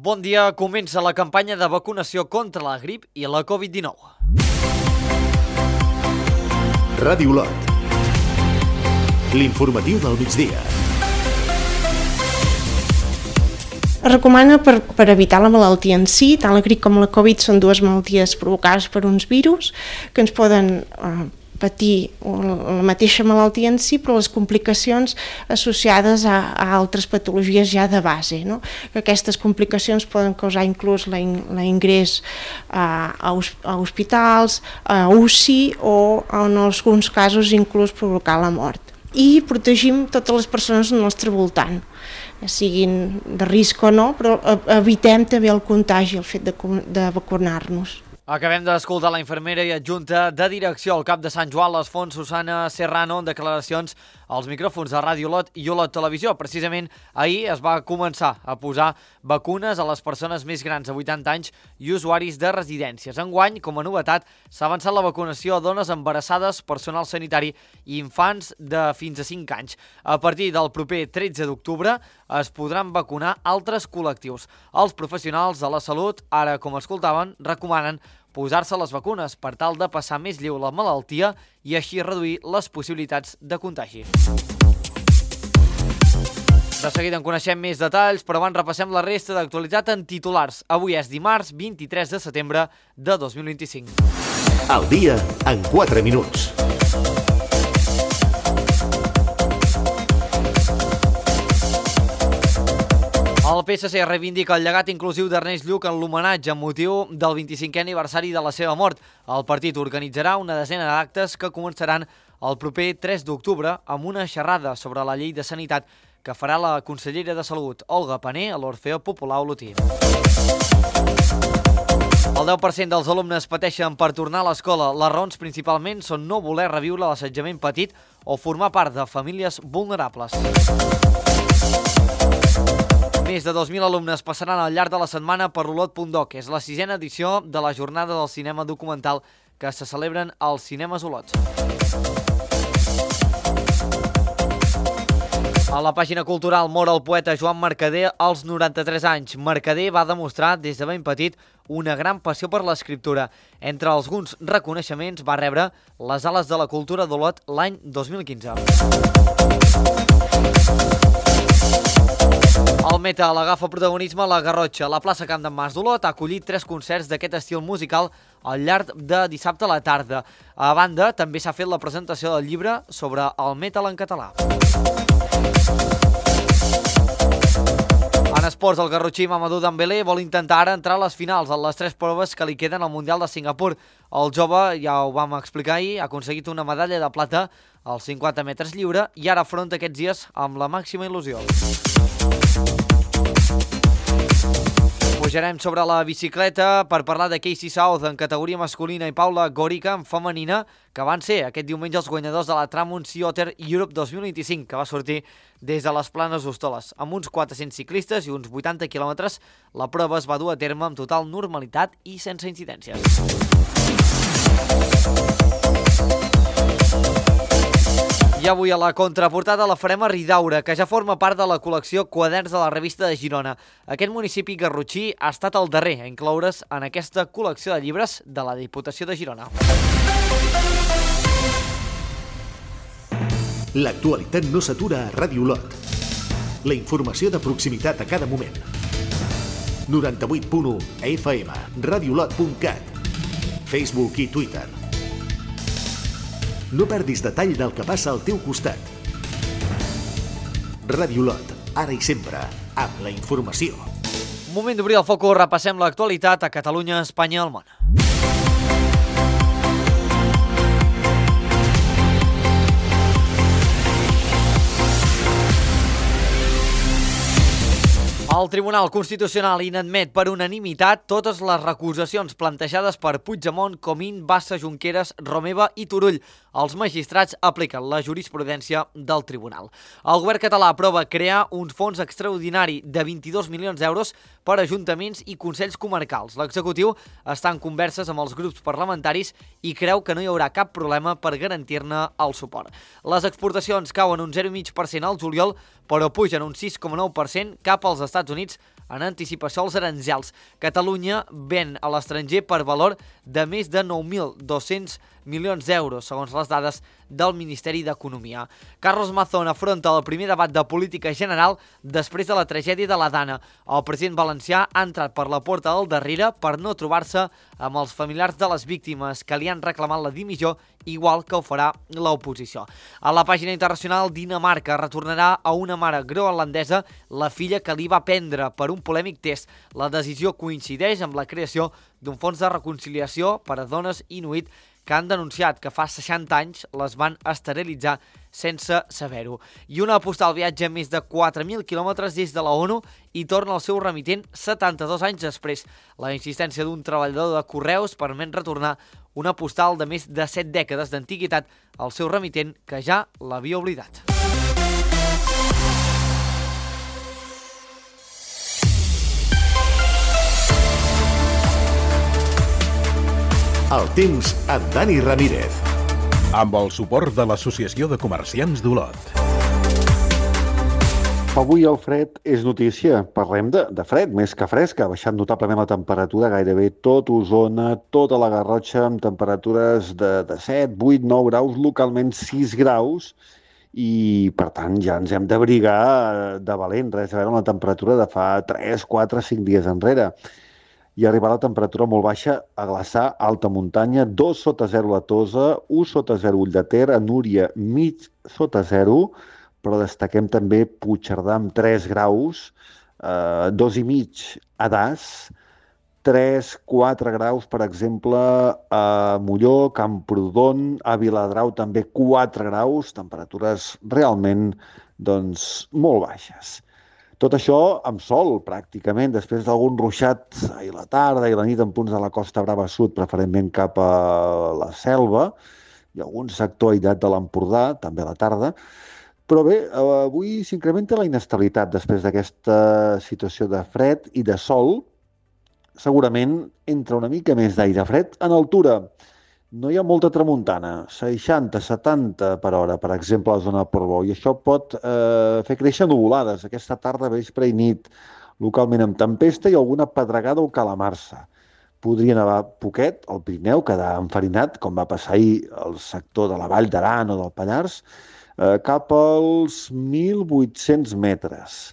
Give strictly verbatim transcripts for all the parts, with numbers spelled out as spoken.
Bon dia, comença la campanya de vacunació contra la grip i la covid dinou. Ràdio Olot. L'informatiu del migdia. Es recomana per, per evitar la malaltia en si. Tant la grip com la Covid són dues malalties provocades per uns virus que ens poden eh, patir la mateixa malaltia en si, però les complicacions associades a, a altres patologies ja de base, no? Que aquestes complicacions poden causar inclús l'ingrés a, a, a hospitals, a U C I o en alguns casos inclús provocar la mort. I protegim totes les persones al nostre voltant, ja siguin de risc o no, però evitem també el contagi, el fet de, de vacunar-nos. Acabem d'escoltar la infermera i adjunta de direcció al cap de Sant Joan les Fonts, Susana Serrano, en declaracions als micròfons de Ràdio Olot i Olot Televisió. Precisament ahir es va començar a posar vacunes a les persones més grans de vuitanta anys i usuaris de residències. Enguany, com a novetat, s'ha avançat la vacunació a dones embarassades, personal sanitari i infants de fins a cinc anys. A partir del proper tretze d'octubre es podran vacunar altres col·lectius. Els professionals de la salut, ara com escoltaven, recomanen posar-se les vacunes per tal de passar més lleu la malaltia i així reduir les possibilitats de contagi. De seguida en coneixem més detalls, però abans repassem la resta d'actualitat en titulars. Avui és dimarts vint-i-tres de setembre de dos mil vint-i-cinc. El dia en quatre minuts. El P S C reivindica el llegat inclusiu d'Ernest Lluch en l'homenatge amb motiu del vint-i-cinquè aniversari de la seva mort. El partit organitzarà una desena d'actes que començaran el proper tres d'octubre amb una xerrada sobre la llei de sanitat que farà la consellera de Salut, Olga Pané, a l'Orfeó Popular Olotí. El deu per cent dels alumnes pateixen per tornar a l'escola. Les raons principalment són no voler reviure l'assetjament patit o formar part de famílies vulnerables. Més de dos mil alumnes passaran al llarg de la setmana per Olot punt doc. És la sisena edició de la jornada del cinema documental que se celebren als cinemes Olot. A la pàgina cultural mor el poeta Joan Mercader als noranta-tres anys. Mercader va demostrar des de ben petit una gran passió per l'escriptura. Entre alguns reconeixements va rebre les Ales de la Cultura d'Olot l'any dos mil quinze. El metal agafa protagonisme a la Garrotxa. La plaça Camp d'en Mas d'Olot ha acollit tres concerts d'aquest estil musical al llarg de dissabte a la tarda. A banda, també s'ha fet la presentació del llibre sobre el metal en català. En esports, el garrotxí Mamadou Dembélé vol intentar ara entrar a les finals en les tres proves que li queden al Mundial de Singapur. El jove, ja ho vam explicar ahir, ha aconseguit una medalla de plata als cinquanta metres lliure i ara afronta aquests dies amb la màxima il·lusió. Pujarem sobre la bicicleta per parlar de Casey South en categoria masculina i Paula Gorica en femenina, que van ser aquest diumenge els guanyadors de la Tramon Sea Otter Europe dos mil vint-i-cinc, que va sortir des de les Planes d'Hostoles. Amb uns quatre-cents ciclistes i uns vuitanta quilòmetres, la prova es va dur a terme amb total normalitat i sense incidències. I avui a la contraportada la farem a Ridaura, que ja forma part de la col·lecció Quaderns de la Revista de Girona. Aquest municipi garrotxí ha estat el darrer a incloure's en aquesta col·lecció de llibres de la Diputació de Girona. L'actualitat no s'atura a Ràdio Olot. La informació de proximitat a cada moment. noranta-vuit punt u F M, radiolot punt cat, Facebook i Twitter. No perdis detall del que passa al teu costat. Ràdio Olot, ara i sempre, amb la informació. Moment d'obrir el focus, repassem l'actualitat a Catalunya, Espanya i el món. El Tribunal Constitucional inadmet per unanimitat totes les recusacions plantejades per Puigdemont, Comín, Bassa, Junqueras, Romeva i Turull. Els magistrats apliquen la jurisprudència del tribunal. El govern català aprova crear un fons extraordinari de vint-i-dos milions d'euros per a ajuntaments i consells comarcals. L'executiu està en converses amb els grups parlamentaris i creu que no hi haurà cap problema per garantir-ne el suport. Les exportacions cauen un zero coma cinc per cent al juliol, però pugen un sis coma nou per cent cap als Estats Units en anticipació als aranzels. Catalunya ven a l'estranger per valor de més de nou mil dos-cents milions d'euros, segons les dades del Ministeri d'Economia. Carlos Mazón afronta el primer debat de política general després de la tragèdia de la Dana. El president valencià ha entrat per la porta del darrere per no trobar-se amb els familiars de les víctimes que li han reclamat la dimissió, igual que ho farà l'oposició. A la pàgina internacional, Dinamarca retornarà a una mare groenlandesa la filla que li va prendre per un polèmic test. La decisió coincideix amb la creació d'un fons de reconciliació per a dones inuit que han denunciat que fa seixanta anys les van esterilitzar sense saber-ho. I una postal viatja més de quatre mil quilòmetres des de la ONU i torna al seu remitent setanta-dos anys després. La insistència d'un treballador de correus permet retornar una postal de més de set dècades d'antiguitat al seu remitent, que ja l'havia oblidat. El temps amb Dani Ramírez. Amb el suport de l'Associació de Comerciants d'Olot. Avui el fred és notícia. Parlem de, de fred, més que fresc. Ha baixat notablement la temperatura, gairebé tot Osona, tota la Garrotxa, amb temperatures de, de set, vuit, nou graus, localment sis graus, i per tant ja ens hem d'abrigar de valent, res a veure amb la temperatura de fa tres, quatre, cinc dies enrere. I arribar a la temperatura molt baixa a Glaçà, alta muntanya, dos sota zero a Tosa, un sota zero Ull de Ter, a Núria mig sota zero, però destaquem també Puigcerdà amb tres graus, eh, dos i mig a Das, tres, quatre graus, per exemple, a Molló, Camprodon, a Viladrau també quatre graus, temperatures realment doncs, molt baixes. Tot això amb sol, pràcticament, després d'algun ruixat ahir a la tarda i la nit en punts de la Costa Brava Sud, preferentment cap a la Selva, i algun sector aïllat de l'Empordà, també a la tarda. Però bé, avui s'incrementa la inestabilitat després d'aquesta situació de fred i de sol. Segurament entra una mica més d'aire fred en altura. No hi ha molta tramuntana, seixanta, setanta per hora, per exemple, a la zona de Portbou, i això pot eh, fer créixer nuvolades aquesta tarda, vespre i nit, localment amb tempesta i alguna pedregada o calamarsa. Podria nevar poquet al Pirineu, quedar enfarinat, com va passar ahir al sector de la Vall d'Aran o del Pallars, eh, cap als mil vuit-cents metres.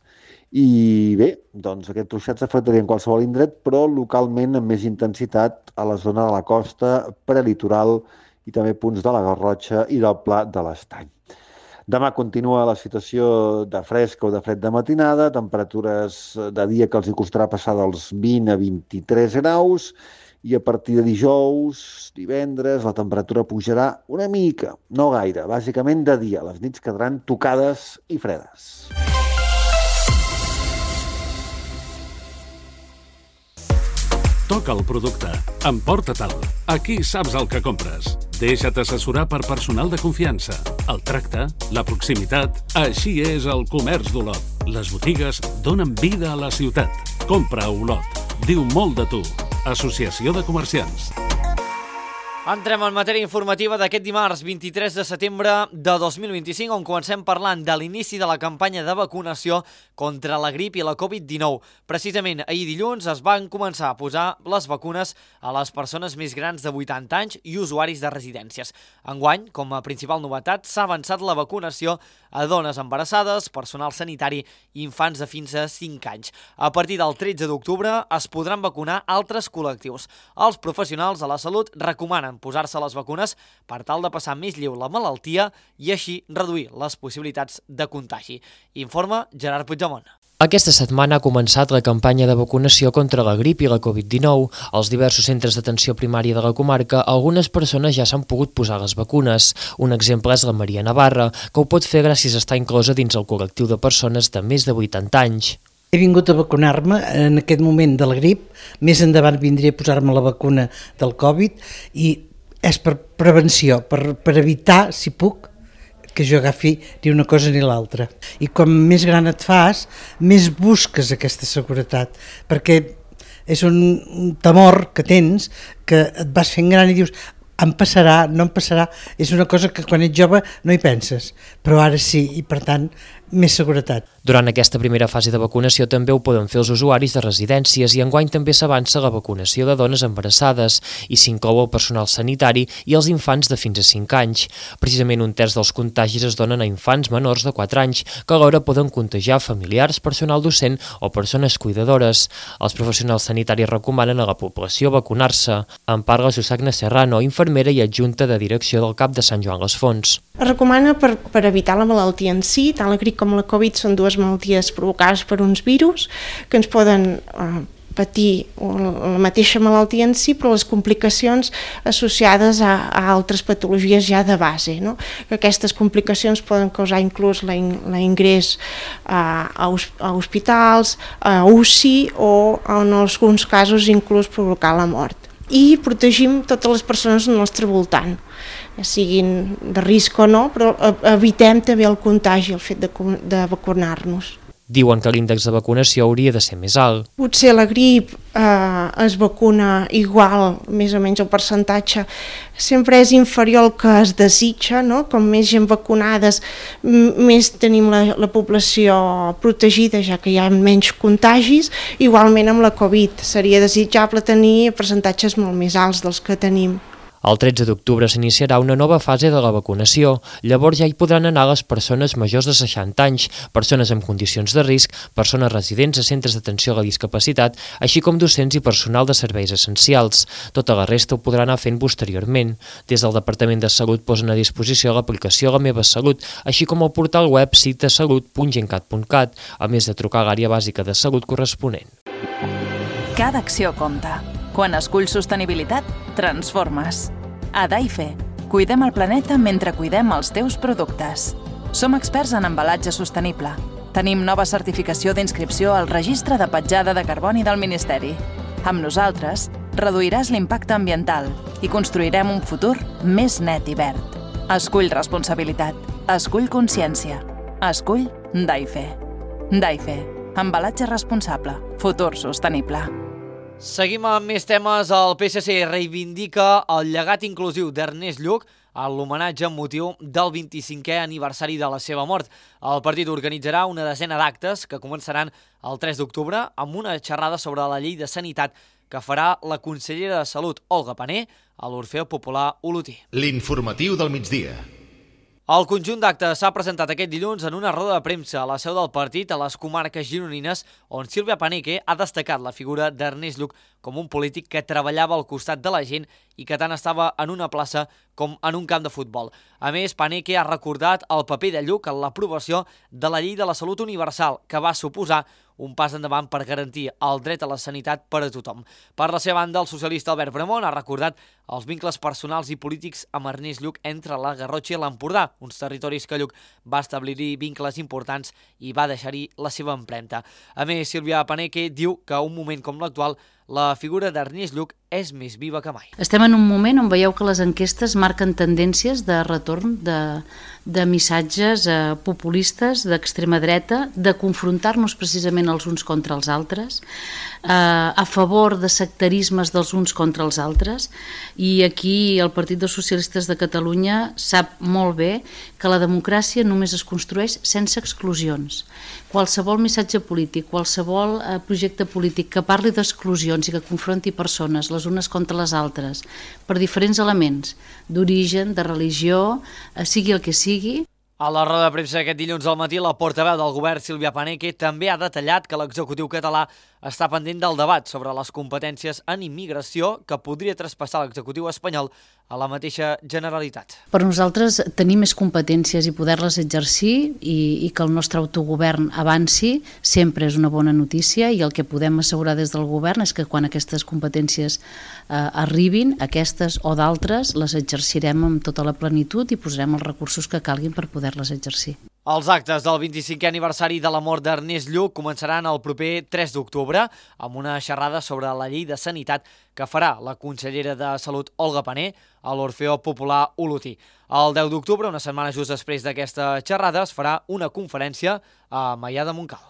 I bé, doncs aquest ruixat s'afectaria en qualsevol indret, però localment amb més intensitat a la zona de la costa prelitoral i també punts de la Garrotxa i del Pla de l'Estany. Demà continua la situació de fresca o de fred de matinada, temperatures de dia que els hi costarà passar dels vint a vint-i-tres graus, i a partir de dijous, divendres, la temperatura pujarà una mica, no gaire, bàsicament de dia. Les nits quedaran tocades i fredes. Toca el producte. Emporta-te'l. Aquí saps el que compres. Deixa't assessorar per personal de confiança. El tracte, la proximitat... Així és el comerç d'Olot. Les botigues donen vida a la ciutat. Compra a Olot. Diu molt de tu. Associació de Comerciants. Entrem en matèria informativa d'aquest dimarts vint-i-tres de setembre de dos mil vint-i-cinc, on comencem parlant de l'inici de la campanya de vacunació contra la grip i la covid dinou. Precisament ahir dilluns es van començar a posar les vacunes a les persones més grans de vuitanta anys i usuaris de residències. Enguany, com a principal novetat, s'ha avançat la vacunació a dones embarassades, personal sanitari i infants de fins a cinc anys. A partir del tretze d'octubre es podran vacunar altres col·lectius. Els professionals de la salut recomanen posar-se les vacunes per tal de passar més lleu la malaltia i així reduir les possibilitats de contagi. Informa Gerard Puigdemont. Aquesta setmana ha començat la campanya de vacunació contra la grip i la covid dinou. Als diversos centres d'atenció primària de la comarca, algunes persones ja s'han pogut posar les vacunes. Un exemple és la Maria Navarra, que ho pot fer gràcies a estar inclosa dins el col·lectiu de persones de més de vuitanta anys. He vingut a vacunar-me en aquest moment de la grip, més endavant vindré a posar-me la vacuna del Covid i és per prevenció, per, per evitar, si puc, que jo agafi ni una cosa ni l'altra. I com més gran et fas, més busques aquesta seguretat, perquè és un temor que tens, que et vas fent gran i dius em passarà, no em passarà, és una cosa que quan ets jove no hi penses, però ara sí, i per tant més seguretat. Durant aquesta primera fase de vacunació també ho poden fer els usuaris de residències i enguany també s'avança la vacunació de dones embarassades i s'inclou el personal sanitari i els infants de fins a cinc anys. Precisament un terç dels contagis es donen a infants menors de quatre anys que alhora poden contagiar familiars, personal docent o persones cuidadores. Els professionals sanitaris recomanen a la població vacunar-se. En parla Susagna Serrano, infermera i adjunta de direcció del C A P de Sant Joan les Fonts. Es recomana per, per evitar la malaltia en si, tant la grip com la Covid són dues malalties provocades per uns virus que ens poden eh, patir la mateixa malaltia en si, però les complicacions associades a, a altres patologies ja de base, no? Que aquestes complicacions poden causar inclús la, in, la ingrés a, a, a hospitals, a U C I o en alguns casos inclús provocar la mort. I protegim totes les persones al nostre voltant, ja siguin de risc o no, però evitem també el contagi, el fet de, de vacunar-nos. Diuen que l'índex de vacunació hauria de ser més alt. Potser la grip eh, es vacuna igual, més o menys el percentatge sempre és inferior al que es desitja, no? Com més gent vacunades, més tenim la, la població protegida, ja que hi ha menys contagis. Igualment amb la Covid seria desitjable tenir percentatges molt més alts dels que tenim. El tretze d'octubre s'iniciarà una nova fase de la vacunació. Llavors ja hi podran anar les persones majors de seixanta anys, persones amb condicions de risc, persones residents a centres d'atenció a la discapacitat, així com docents i personal de serveis essencials. Tota la resta ho podrà anar fent posteriorment. Des del Departament de Salut posen a disposició l'aplicació La Meva Salut, així com el portal web citasalut punt gencat punt cat, a més de trucar a l'àrea bàsica de salut corresponent. Cada acció compta. Quan esculls sostenibilitat, transformes. A Daife, cuidem el planeta mentre cuidem els teus productes. Som experts en embalatge sostenible. Tenim nova certificació d'inscripció al Registre de Petjada de Carboni del Ministeri. Amb nosaltres, reduiràs l'impacte ambiental i construirem un futur més net i verd. Escull responsabilitat. Escull consciència. Escull Daife. Daife. Embalatge responsable. Futur sostenible. Seguim amb més temes. El P S C reivindica el llegat inclusiu d'Ernest Lluch a l'homenatge amb motiu del vint-i-cinquè aniversari de la seva mort. El partit organitzarà una desena d'actes que començaran el tres d'octubre amb una xerrada sobre la llei de sanitat que farà la consellera de Salut, Olga Pané, a l'Orfeó Popular Olotí. L'informatiu del migdia. El conjunt d'actes s'ha presentat aquest dilluns en una roda de premsa a la seu del partit a les comarques gironines, on Sílvia Paneque ha destacat la figura d'Ernest Lluch com un polític que treballava al costat de la gent i que tant estava en una plaça com en un camp de futbol. A més, Paneque ha recordat el paper de Lluch en l'aprovació de la llei de la salut universal, que va suposar un pas endavant per garantir el dret a la sanitat per a tothom. Per la seva banda, el socialista Albert Bramont ha recordat els vincles personals i polítics amb Ernest Lluch entre la Garrotxa i l'Empordà, uns territoris que Lluch va establir-hi vincles importants i va deixar-hi la seva empremta. A més, Sílvia Paneque diu que un moment com l'actual, la figura d'Ernest Lluch és més viva que mai. Estem en un moment on veieu que les enquestes marquen tendències de retorn de, de missatges eh, populistes d'extrema dreta, de confrontar-nos precisament els uns contra els altres, eh, a favor de sectarismes dels uns contra els altres, i aquí el Partit dels Socialistes de Catalunya sap molt bé que la democràcia només es construeix sense exclusions. Qualsevol missatge polític, qualsevol eh, projecte polític que parli d'exclusions i que confronti persones les unes contra les altres per diferents elements d'origen, de religió, eh, sigui el que sigui. A la roda de premsa aquest dilluns al matí, la portaveu del govern, Sílvia Paneque, també ha detallat que l'executiu català està pendent del debat sobre les competències en immigració que podria traspassar l'executiu espanyol a la mateixa Generalitat. Per nosaltres tenir més competències i poder-les exercir i, i que el nostre autogovern avanci sempre és una bona notícia, i el que podem assegurar des del govern és que quan aquestes competències eh, arribin, aquestes o d'altres, les exercirem amb tota la plenitud i posarem els recursos que calguin per poder-les exercir. Els actes del vint-i-cinquè aniversari de la mort d'Ernest Lluch començaran el proper tres d'octubre amb una xerrada sobre la llei de sanitat que farà la consellera de Salut, Olga Pané, a l'Orfeó Popular Olotí. El deu d'octubre, una setmana just després d'aquesta xerrada, es farà una conferència a Maià de Montcal.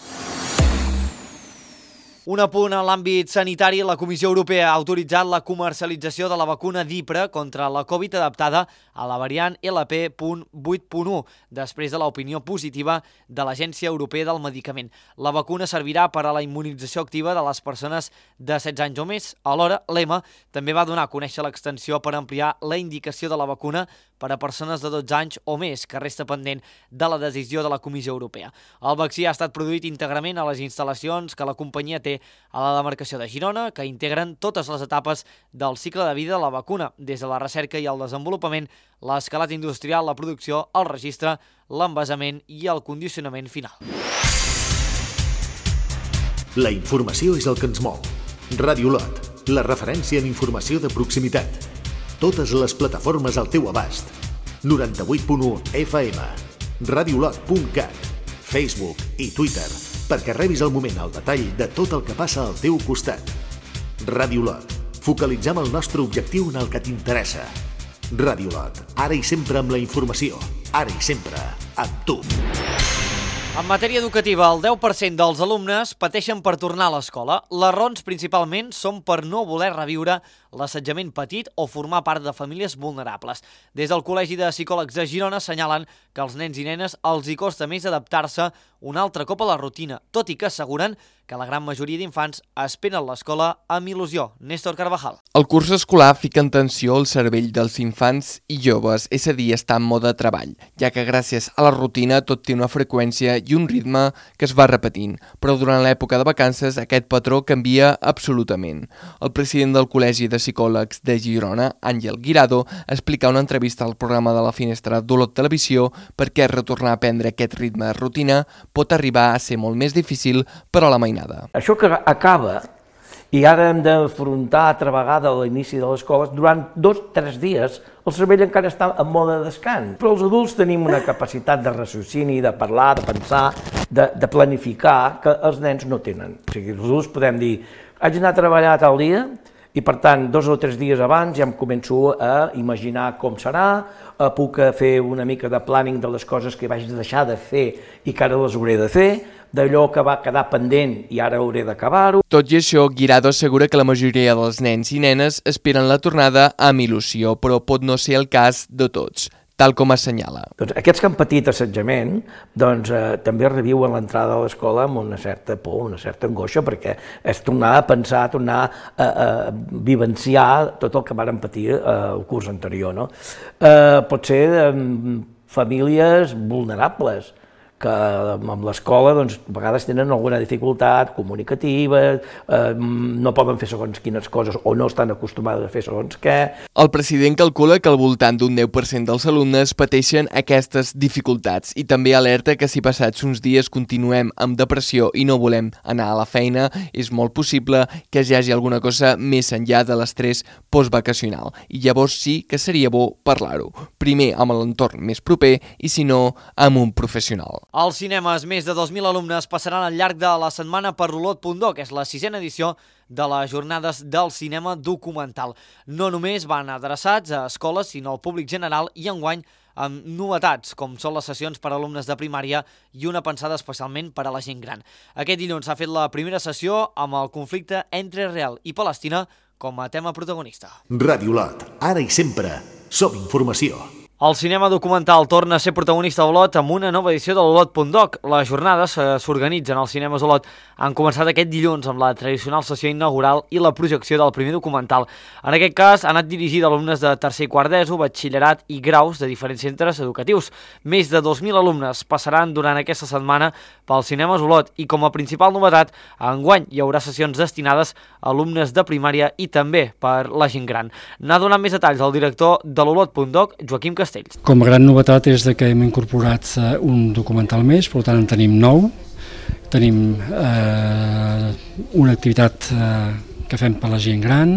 Un apunt en l'àmbit sanitari, la Comissió Europea ha autoritzat la comercialització de la vacuna d'Ipra contra la Covid adaptada a la variant L P vuit punt u, després de l'opinió positiva de l'Agència Europea del Medicament. La vacuna servirà per a la immunització activa de les persones de setze anys o més. Alhora, l'E M A també va donar a conèixer l'extensió per ampliar la indicació de la vacuna per a persones de dotze anys o més, que resta pendent de la decisió de la Comissió Europea. El vaccí ha estat produït íntegrament a les instal·lacions que la companyia té a la demarcació de Girona, que integren totes les etapes del cicle de vida de la vacuna, des de la recerca i el desenvolupament, l'escalat industrial, la producció, el registre, l'envasament i el condicionament final. La informació és el que ens mou. Ràdio Lot, la referència en informació de proximitat. Totes les plataformes al teu abast. noranta-vuit punt u F M, radiolot punt cat, Facebook i Twitter, perquè rebis al moment el detall de tot el que passa al teu costat. Ràdio Lot. Focalitzem el nostre objectiu en el que t'interessa. Ràdio Lot. Ara i sempre amb la informació. Ara i sempre amb tu. En matèria educativa, el deu per cent dels alumnes pateixen per tornar a l'escola. Les raons principalment són per no voler reviure l'assetjament patit o formar part de famílies vulnerables. Des del Col·legi de Psicòlegs de Girona assenyalen que als nens i nenes els hi costa més adaptar-se un altre cop a la rutina, tot i que asseguren que la gran majoria d'infants esperen l'escola amb il·lusió. Néstor Carvajal. El curs escolar fica en tensió el cervell dels infants i joves, és a dir, està en mode treball, ja que gràcies a la rutina tot té una freqüència i un ritme que es va repetint, però durant l'època de vacances aquest patró canvia absolutament. El president del Col·legi de Psicòlegs de Girona, Àngel Guirado, explica una entrevista al programa de la Finestra d'Olot Televisió per què retornar a prendre aquest ritme de rutina pot arribar a ser molt més difícil per a la mainada. Això que acaba, i ara hem d'afrontar altra vegada a l'inici de l'escola, durant dos o tres dies el cervell encara està en mode de descans. Però els adults tenim una capacitat de raciocini, de parlar, de pensar, de, de planificar, que els nens no tenen. O sigui, els adults podem dir, haig d'anar a treballar tal dia, i per tant, dos o tres dies abans ja em començo a imaginar com serà, puc fer una mica de planning de les coses que vaig deixar de fer i que ara les hauré de fer, d'allò que va quedar pendent i ara hauré d'acabar-ho. Tot i això, Guirado assegura que la majoria dels nens i nenes esperen la tornada amb il·lusió, però pot no ser el cas de tots, tal com assenyala. Doncs aquests que han patit assetjament doncs, eh, també reviuen l'entrada a l'escola amb una certa por, una certa angoixa, perquè és tornar a pensar, tornar a, a vivenciar tot el que varen patir eh, el curs anterior. No? Eh, pot ser eh, famílies vulnerables, que amb l'escola doncs, a vegades tenen alguna dificultat comunicativa, eh, no poden fer segons quines coses o no estan acostumades a fer segons què. El president calcula que al voltant d'un deu per cent dels alumnes pateixen aquestes dificultats i també alerta que si passats uns dies continuem amb depressió i no volem anar a la feina, és molt possible que hi hagi alguna cosa més enllà de l'estrès postvacacional i llavors sí que seria bo parlar-ho, primer amb l'entorn més proper i si no amb un professional. Als cinemes, més de dos mil alumnes passaran al llarg de la setmana per Olot punt do, que és la sisena edició de les jornades del cinema documental. No només van adreçats a escoles, sinó al públic general i enguany amb novetats, com són les sessions per a alumnes de primària i una pensada especialment per a la gent gran. Aquest dilluns s'ha fet la primera sessió amb el conflicte entre Israel i Palestina com a tema protagonista. Ràdio Lot, ara i sempre, som informació. El cinema documental torna a ser protagonista a Olot amb una nova edició de l'Olot punt doc. Les jornades s'organitzen als cinemes Olot. Han començat aquest dilluns amb la tradicional sessió inaugural i la projecció del primer documental. En aquest cas ha anat dirigit a alumnes de tercer i quart d'ESO, batxillerat i graus de diferents centres educatius. Més de dos mil alumnes passaran durant aquesta setmana pels cinemes Olot i com a principal novetat, enguany hi haurà sessions destinades a alumnes de primària i també per la gent gran. N'ha donat més detalls el director de l'Olot punt doc, Joaquim Castells. Com a gran novetat és que hem incorporat un documental més, per tant en tenim nou. Tenim eh, una activitat eh, que fem per la gent gran,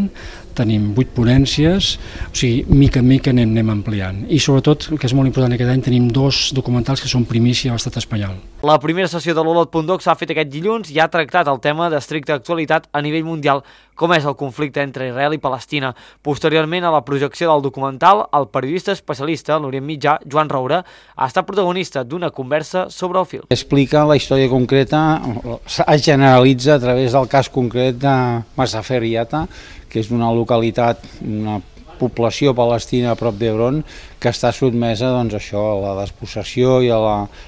tenim vuit ponències, o sigui, mica en mica anem, anem ampliant. I sobretot, el que és molt important aquest any, tenim dos documentals que són primícia a l'estat espanyol. La primera sessió de l'Olot punt doc s'ha fet aquest dilluns i ha tractat el tema d'estricta actualitat a nivell mundial, com és el conflicte entre Israel i Palestina. Posteriorment a la projecció del documental, el periodista especialista a l'Orient Mitjà, Joan Roura, ha estat protagonista d'una conversa sobre el film. Explica la història concreta, es generalitza a través del cas concret de Masafer Yatta, que és una localitat, una població palestina a prop d'Hebron, que està sotmesa doncs, això, a la despossessió i a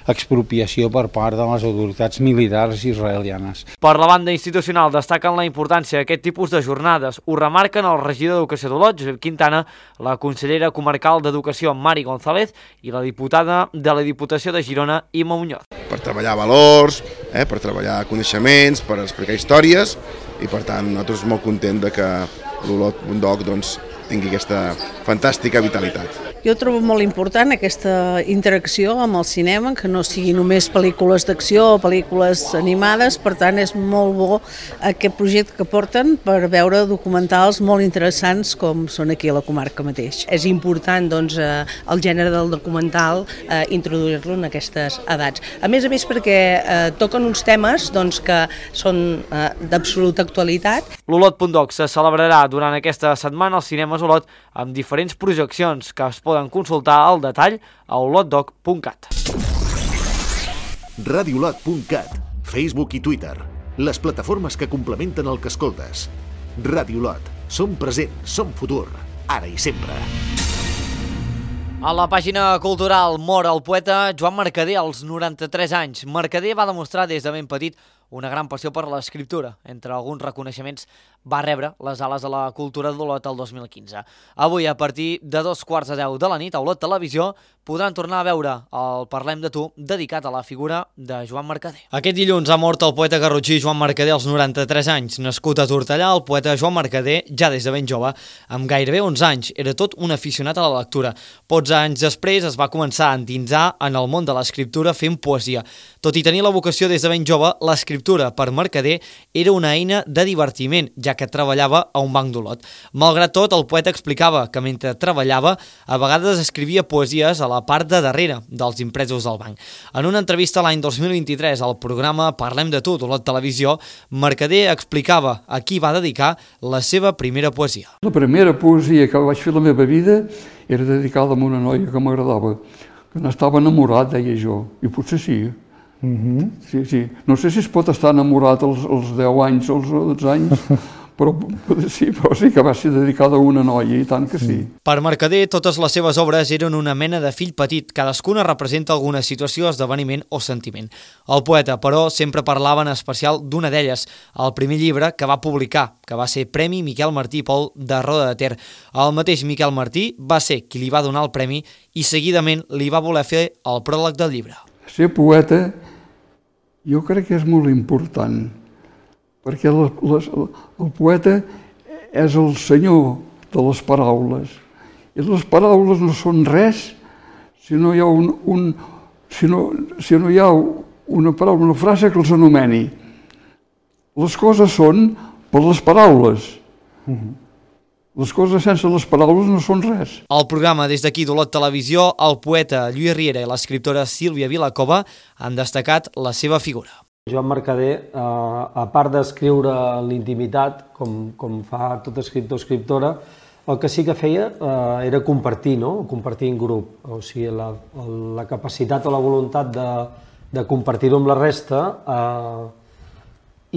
l'expropiació per part de les autoritats militars israelianes. Per la banda institucional destaquen la importància d'aquest tipus de jornades. Ho remarquen el regidor d'Educació d'Olot, Josep Quintana, la consellera comarcal d'Educació, Mari González, i la diputada de la Diputació de Girona, Imma Muñoz. Per treballar valors, eh, per treballar coneixements, per explicar històries, i per tant nosaltres molt contents de que l'Olot punt doc doncs, tingui aquesta fantàstica vitalitat. Jo trobo molt important aquesta interacció amb el cinema, que no sigui només pel·lícules d'acció o pel·lícules animades, per tant és molt bo aquest projecte que porten per veure documentals molt interessants com són aquí a la comarca mateix. És important doncs, el gènere del documental eh, introduir-lo en aquestes edats. A més a més perquè eh, toquen uns temes doncs, que són eh, d'absoluta actualitat. L'Olot punt doc se celebrarà durant aquesta setmana als cinemes Olot amb diferents projeccions que es poden consultar al detall a olotdoc punt cat. radiolot punt cat, Facebook i Twitter, les plataformes que complementen el que escoltes. Radiolot, som present, som futur, ara i sempre. A la pàgina cultural mor el poeta Joan Mercader als noranta-tres anys. Mercader va demostrar des de ben petit una gran passió per l'escriptura. Entre alguns reconeixements va rebre les ales de la cultura d'Olot el dos mil quinze. Avui, a partir de dos quarts de deu de la nit, a Olot Televisió, podran tornar a veure el Parlem de tu, dedicat a la figura de Joan Mercader. Aquest dilluns ha mort el poeta garrotxí Joan Mercader als noranta-tres anys. Nascut a Tortellà, el poeta Joan Mercader, ja des de ben jove, amb gairebé onze anys, era tot un aficionat a la lectura. Pocs anys després es va començar a endinsar en el món de l'escriptura fent poesia. Tot i tenir la vocació des de ben jove, l'escriptura per Mercader era una eina de divertiment, ja que treballava a un banc d'Olot. Malgrat tot, el poeta explicava que mentre treballava, a vegades escrivia poesies a la part de darrere dels impresos del banc. En una entrevista l'any dos mil vint-i-tres al programa Parlem de tu d'Olot Televisió, Mercader explicava a qui va dedicar la seva primera poesia. La primera poesia que vaig fer a la meva vida era dedicada a una noia que m'agradava, que n'estava enamorat, deia jo, i potser sí. Uh-huh. Sí, sí. No sé si es pot estar enamorat als, als deu anys o als dotze anys, però sí, però sí que va ser dedicada a una noia, i tant que sí. Per Mercader, totes les seves obres eren una mena de fill petit, cadascuna representa alguna situació, esdeveniment o sentiment. El poeta, però, sempre parlava en especial d'una d'elles, el primer llibre que va publicar, que va ser Premi Miquel Martí i Pol de Roda de Ter. El mateix Miquel Martí va ser qui li va donar el premi i seguidament li va voler fer el pròleg del llibre. Ser poeta jo crec que és molt important, perquè les, les, el poeta és el senyor de les paraules, i les paraules no són res si no hi ha, un, un, si no, si no hi ha una paraula, una frase que els anomeni. Les coses són per les paraules. Uh-huh. Les coses sense les paraules no són res. Al programa des d'aquí d'Olot Televisió, el poeta Lluís Riera i l'escriptora Sílvia Vilacova han destacat la seva figura. Joan Mercader, eh, a part d'escriure en l'intimitat, com, com fa tot escriptor o escriptora, el que sí que feia eh, era compartir, no? Compartir en grup. O sigui, la, la capacitat o la voluntat de, de compartir-ho amb la resta eh,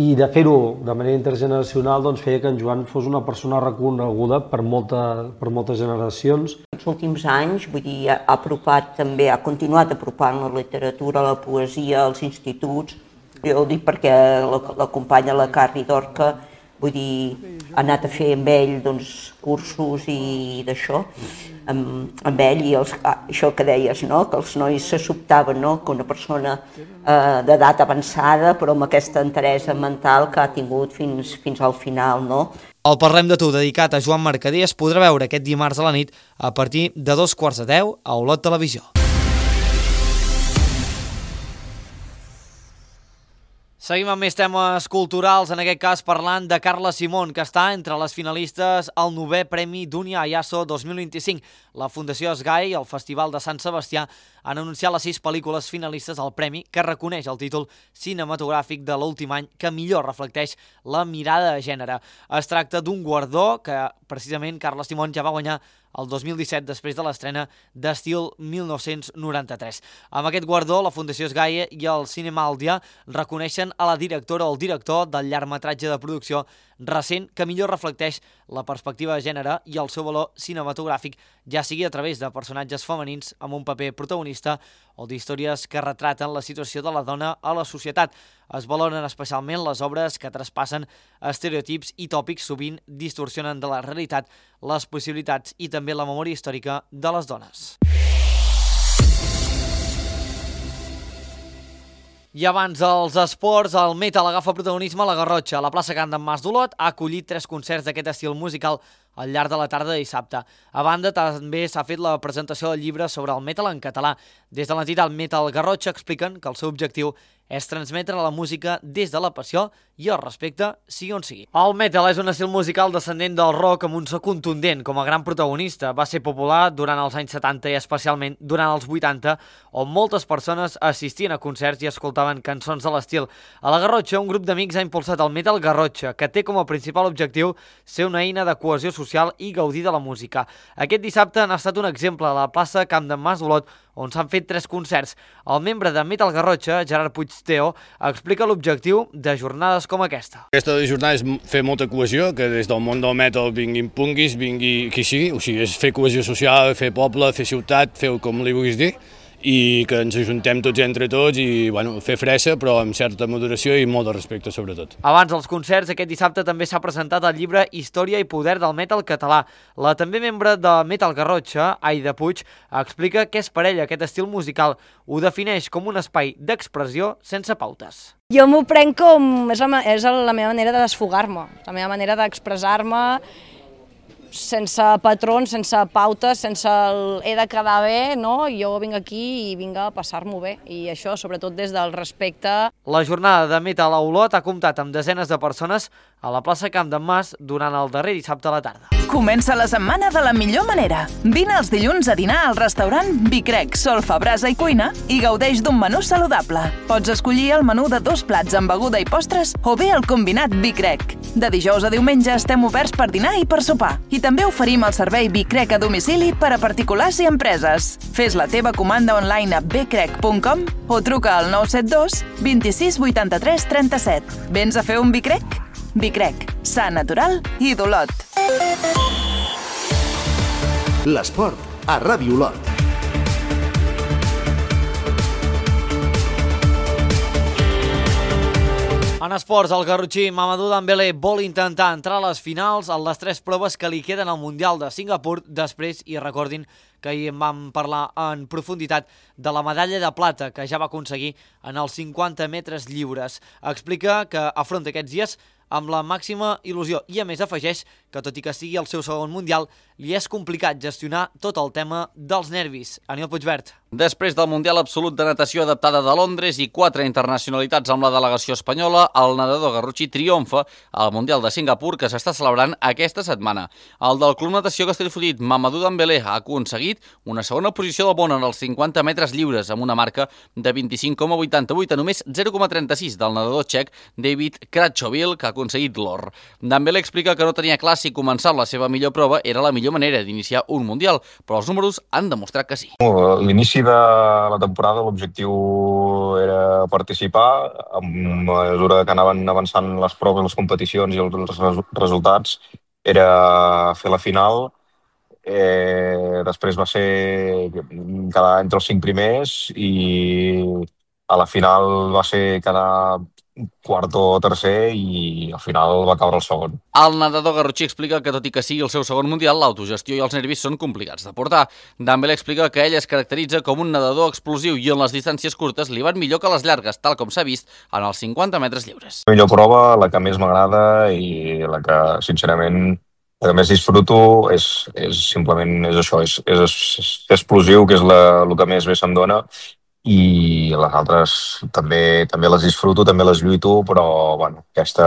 i de fer-ho de manera intergeneracional doncs, feia que en Joan fos una persona reconeguda per, molta, per moltes generacions. Els últims anys, vull dir, ha apropat també, ha continuat apropant la literatura, la poesia, als instituts. Jo ho dic perquè l'acompanya la Carri Dorca, vull dir, ha anat a fer amb ell doncs, cursos i d'això, amb, amb ell, i els, això que deies, no? Que els nois se sobtaven, no? Que una persona eh, d'edat avançada, però amb aquesta enteresa mental que ha tingut fins, fins al final, no? El Parlem de tu, dedicat a Joan Mercader, es podrà veure aquest dimarts a la nit a partir de dos quarts de deu a Olot Televisió. Seguim amb més temes culturals, en aquest cas parlant de Carla Simón, que està entre les finalistes al novè Premi Dunia Ayaso dos mil vint-i-cinc. La Fundació Esgai i el Festival de Sant Sebastià han anunciat les sis pel·lícules finalistes al premi, que reconeix el títol cinematogràfic de l'últim any que millor reflecteix la mirada de gènere. Es tracta d'un guardó que precisament Carla Simón ja va guanyar el dos mil disset, després de l'estrena d'Estil mil nou-cents noranta-tres. Amb aquest guardó, la Fundació Esgai i el Cinema Aldia reconeixen a la directora o el director del llargmetratge de producció recent que millor reflecteix la perspectiva de gènere i el seu valor cinematogràfic, ja sigui a través de personatges femenins amb un paper protagonista o d'històries que retraten la situació de la dona a la societat. Es valoren especialment les obres que traspassen estereotips i tòpics, sovint distorsionen de la realitat, les possibilitats i també la memòria històrica de les dones. I abans dels esports, el metal agafa protagonisme a la Garrotxa. La plaça Can d'en Mas d'Olot ha acollit tres concerts d'aquest estil musical al llarg de la tarda de dissabte. A banda, també s'ha fet la presentació del llibre sobre el metal en català. Des de l'entitat Metal Garrotxa expliquen que el seu objectiu és transmetre la música des de la passió i el respecte, sigui on sigui. El metal és un estil musical descendent del rock amb un so contundent com a gran protagonista. Va ser popular durant els anys setanta i especialment durant els vuitanta, on moltes persones assistien a concerts i escoltaven cançons de l'estil. A la Garrotxa, un grup d'amics ha impulsat el Metal Garrotxa, que té com a principal objectiu ser una eina de cohesió social i gaudir de la música. Aquest dissabte han estat un exemple a la plaça Camp d'en Mas d'Olot, on s'han fet tres concerts. El membre de Metal Garrotxa, Gerard Puigteo, explica l'objectiu de jornades com aquesta. Aquesta jornada és fer molta cohesió, que des del món del metal vinguin punguis, vingui qui sigui, o sigui, és fer cohesió social, fer poble, fer ciutat, fer com li vulguis dir, i que ens ajuntem tots entre tots i bueno, fer fressa, però amb certa moderació i molt de respecte, sobretot. Abans dels concerts, aquest dissabte també s'ha presentat el llibre Història i poder del metal català. La també membre de Metal Garrotxa, Aida Puig, explica què és per ella aquest estil musical. Ho defineix com un espai d'expressió sense pautes. Jo m'ho prenc com... és la, és la meva manera de desfogar-me, la meva manera d'expressar-me sense patrons, sense pautes, sense el he de quedar bé, no? Jo vinc aquí i vinc a passar-m'ho bé, i això sobretot des del respecte. La jornada de Metal a Olot ha comptat amb desenes de persones a la plaça Camp d'en Mas durant el darrer dissabte a la tarda. Comença la setmana de la millor manera. Vine els dilluns a dinar al restaurant Bicrec, Solfa, Brasa i Cuina i gaudeix d'un menú saludable. Pots escollir el menú de dos plats amb beguda i postres o bé el combinat Bicrec. De dijous a diumenge estem oberts per dinar i per sopar. I també oferim el servei Bicrec a domicili per a particulars i empreses. Fes la teva comanda online a bcrec punt com o truca al nou set dos vint-i-sis vuitanta-tres trenta-set. Vens a fer un Bicrec? Bicrec, sa natural i d'Olot. L'esport a Ràdio Olot. En esports, el garrotxí Mamadou Dembélé vol intentar entrar a les finals en les tres proves que li queden al Mundial de Singapur després, i recordin que ahir vam parlar en profunditat de la medalla de plata que ja va aconseguir en els cinquanta metres lliures. Explica que afronta aquests dies amb la màxima il·lusió i a més afegeix que tot i que sigui el seu segon Mundial, li és complicat gestionar tot el tema dels nervis. Aniol Puigvert. Després del Mundial Absolut de Natació Adaptada de Londres i quatre internacionalitats amb la delegació espanyola, el nedador garrotxí triomfa al Mundial de Singapur que s'està celebrant aquesta setmana. El del Club Natació Castellfollit, Mamadou Dembélé, ha aconseguit una segona posició del món en els cinquanta metres lliures amb una marca de vint-i-cinc coma vuitanta-vuit a només zero coma trenta-sis del nedador txec David Krachovil, que ha aconseguit l'or. Dembélé explica que no tenia clar si començar la seva millor prova era la millor manera d'iniciar un Mundial, però els números han demostrat que sí. L'inici de la temporada l'objectiu era participar. A mesura que anaven avançant les proves, les competicions i els resultats, era fer la final. Eh, després va ser quedar entre els cinc primers i a la final va ser quedar quart o tercer i al final va caure el segon. El nedador garrotxí explica que tot i que sigui el seu segon Mundial, l'autogestió i els nervis són complicats de portar. Dembélé explica que ell es caracteritza com un nedador explosiu i en les distàncies curtes li van millor que les llargues, tal com s'ha vist en els cinquanta metres lliures. La millor prova, la que més m'agrada i la que, sincerament, el que més disfruto és, és simplement és això, és, és, és explosiu, que és la, el que més bé se'm dona, i les altres també també les disfruto, també les lluito, però bueno, aquesta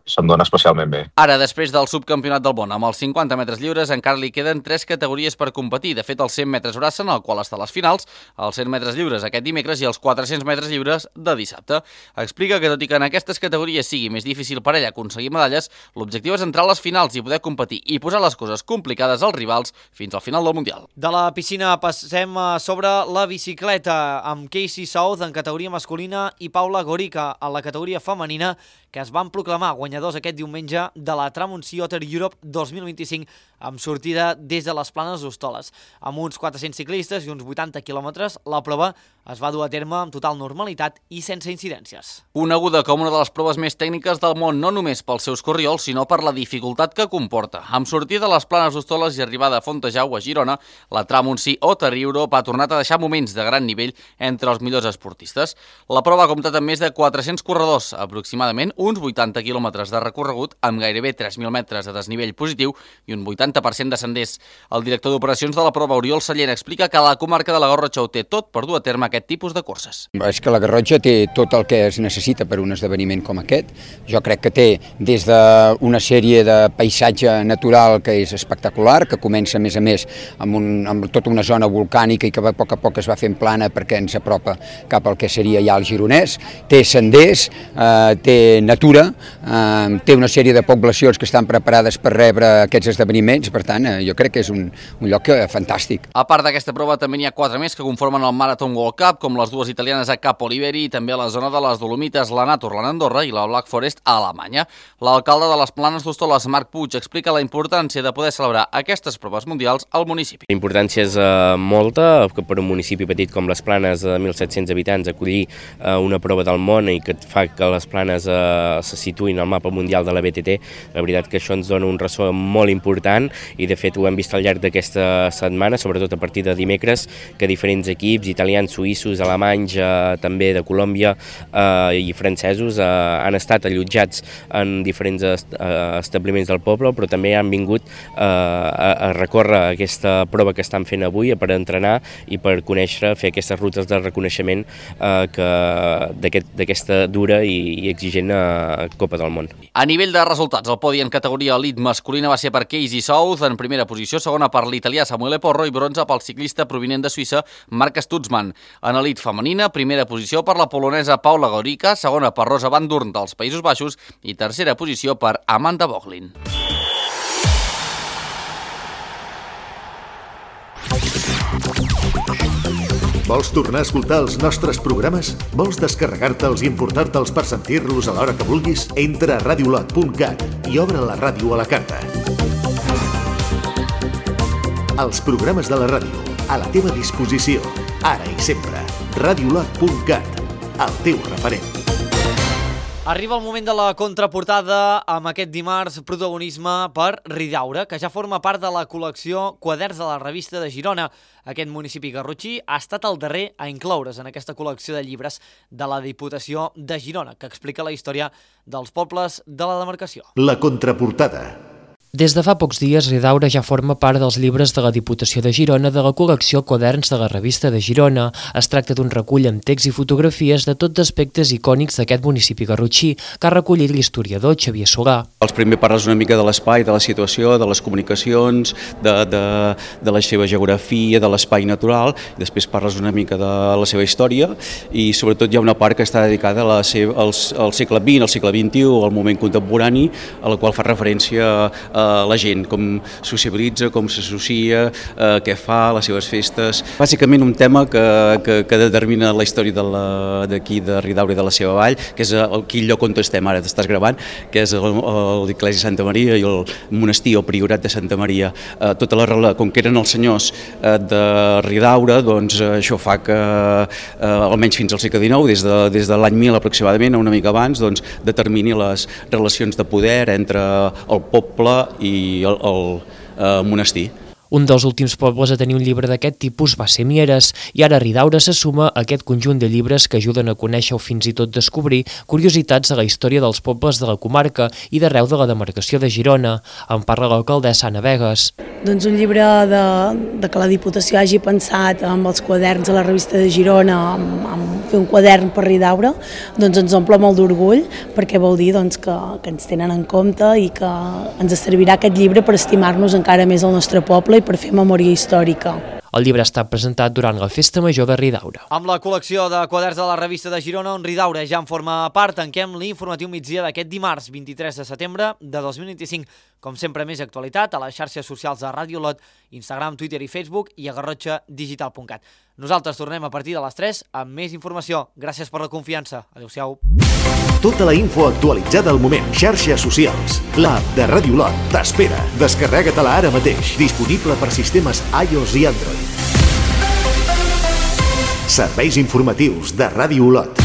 se'm dona especialment bé. Ara, després del subcampionat del món amb els cinquanta metres lliures, encara li queden tres categories per competir. De fet, els cent metres braça, en el qual està a les finals, els cent metres lliures aquest dimecres i els quatre-cents metres lliures de dissabte. Explica que, tot i que en aquestes categories sigui més difícil per ella aconseguir medalles, l'objectiu és entrar a les finals i poder competir i posar les coses complicades als rivals fins al final del Mundial. De la piscina passem sobre la bicicleta, amb Casey South en categoria masculina i Paula Gorica en la categoria femenina, que es van proclamar guanyadors aquest diumenge de la Tramuncie Otter Europe dos mil vint-i-cinc amb sortida des de les Planes d'Hostoles. Amb uns quatre-cents ciclistes i uns vuitanta quilòmetres, la prova es va dur a terme amb total normalitat i sense incidències. Coneguda com una de les proves més tècniques del món, no només pels seus corriols, sinó per la dificultat que comporta. Amb sortida de les Planes d'Hostoles i arribada a Fontejau, a Girona, la Tramuncie Otter Europe ha tornat a deixar moments de gran nivell entre els millors esportistes. La prova ha comptat amb més de quatre-cents corredors, aproximadament uns vuitanta quilòmetres de recorregut amb gairebé tres mil metres de desnivell positiu i un vuitanta per cent de senders. El director d'operacions de la prova, Oriol Sallent, explica que la comarca de la Garrotxa ho té tot per dur a terme aquest tipus de curses. És que la Garrotxa té tot el que es necessita per un esdeveniment com aquest. Jo crec que té des d'una sèrie de paisatge natural que és espectacular, que comença a més a més amb, un, amb tota una zona volcànica i que a poc a poc es va fent plana perquè ens apropa cap al que seria ja el Gironès. Té senders, eh, té natura, eh, té una sèrie de poblacions que estan preparades per rebre aquests esdeveniments, per tant, eh, jo crec que és un, un lloc fantàstic. A part d'aquesta prova, també n'hi ha quatre més que conformen el Marathon World Cup, com les dues italianes a Cap Oliveri i també a la zona de les Dolomites, la Naturland a Andorra i la Black Forest a Alemanya. L'alcalde de les Planes d'Hostoles, Marc Puig, explica la importància de poder celebrar aquestes proves mundials al municipi. La importància és eh, molta, que per un municipi petit com les Planes de mil set-cents habitants acollir eh, una prova del món i que fa que les Planes eh, se situïn al mapa mundial de la B T T. La veritat que això ens dona un ressò molt important i de fet ho hem vist al llarg d'aquesta setmana, sobretot a partir de dimecres, que diferents equips italians, suïssos, alemanys, eh, també de Colòmbia eh, i francesos eh, han estat allotjats en diferents est eh, establiments del poble, però també han vingut eh, a, a recórrer aquesta prova que estan fent avui per entrenar i per conèixer, fer aquestes rutes de reconeixement eh, d'aquesta aquest, dura i, i exigent eh, Copa del Món. A nivell de resultats, el podi en categoria elit masculina va ser per Casey South, en primera posició, segona per l'italià Samuele Porro i bronze pel ciclista provinent de Suïssa Marc Stutzmann. En elit femenina, primera posició per la polonesa Paula Gorica, segona per Rosa Van Durn dels Països Baixos i tercera posició per Amanda Boglin. Vols tornar a escoltar els nostres programes? Vols descarregar-te'ls i importar-te'ls per sentir-los a l'hora que vulguis? Entra a radiolot punt cat i obre la ràdio a la carta. Els programes de la ràdio, a la teva disposició, ara i sempre. radiolot punt cat, el teu referent. Arriba el moment de la contraportada amb aquest dimarts protagonisme per Ridaura, que ja forma part de la col·lecció Quaderns de la Revista de Girona. Aquest municipi garrotxí ha estat el darrer a incloure's en aquesta col·lecció de llibres de la Diputació de Girona, que explica la història dels pobles de la demarcació. La contraportada. Des de fa pocs dies, Ridaura ja forma part dels llibres de la Diputació de Girona de la col·lecció Quaderns de la Revista de Girona. Es tracta d'un recull amb text i fotografies de tots aspectes icònics d'aquest municipi garrotxí, que ha recollit l'historiador Xavier Solà. Els primer parles una mica de l'espai, de la situació, de les comunicacions, de, de, de la seva geografia, de l'espai natural, i després parles una mica de la seva història, i sobretot hi ha una part que està dedicada a la seva, al, al segle vint, al segle vint-i-u, al moment contemporani, a la qual fa referència a la gent, com sociabilitza, com s'associa, eh, què fa, les seves festes. Bàsicament un tema que, que, que determina la història d'aquí de, de Ridaura i de la seva vall, que és el, quin lloc on estem ara, t'estàs gravant, que és l'Església de Santa Maria i el monestir o priorat de Santa Maria. Eh, tota la, com que eren els senyors eh, de Ridaura, doncs eh, això fa que, eh, almenys fins al segle dinou, des de, des de l'any mil aproximadament, una mica abans, doncs, determini les relacions de poder entre el poble i el, el eh, monestir. Un dels últims pobles a tenir un llibre d'aquest tipus va ser Mieres, i ara Ridaura se suma a aquest conjunt de llibres que ajuden a conèixer o fins i tot descobrir curiositats de la història dels pobles de la comarca i d'arreu de la demarcació de Girona. En parla l'alcaldessa Anna Vegas. doncs un llibre de, de que la Diputació hagi pensat amb els quaderns a la revista de Girona, amb, amb fer un quadern per Ridaura, doncs ens omple molt d'orgull, perquè vol dir doncs, que, que ens tenen en compte i que ens servirà aquest llibre per estimar-nos encara més el nostre poble i per fer memòria històrica. El llibre ha estat presentat durant la Festa Major de Ridaura. Amb la col·lecció de quaderns de la revista de Girona, on Ridaura ja en forma part, tanquem l'informatiu migdia d'aquest dimarts, vint-i-tres de setembre de dos mil vint-i-cinc. Com sempre, més actualitat a les xarxes socials de Ràdio Lot, Instagram, Twitter i Facebook i a garrotxa digital punt cat. Nosaltres tornem a partir de les tres amb més informació. Gràcies per la confiança. Adéu-siau. Tota la info actualitzada al moment. Xarxes socials. L'app de Ràdio Lot t'espera. Descarrega-te-la ara mateix. Disponible per sistemes iOS i Android. Serveis informatius de Ràdio Lot.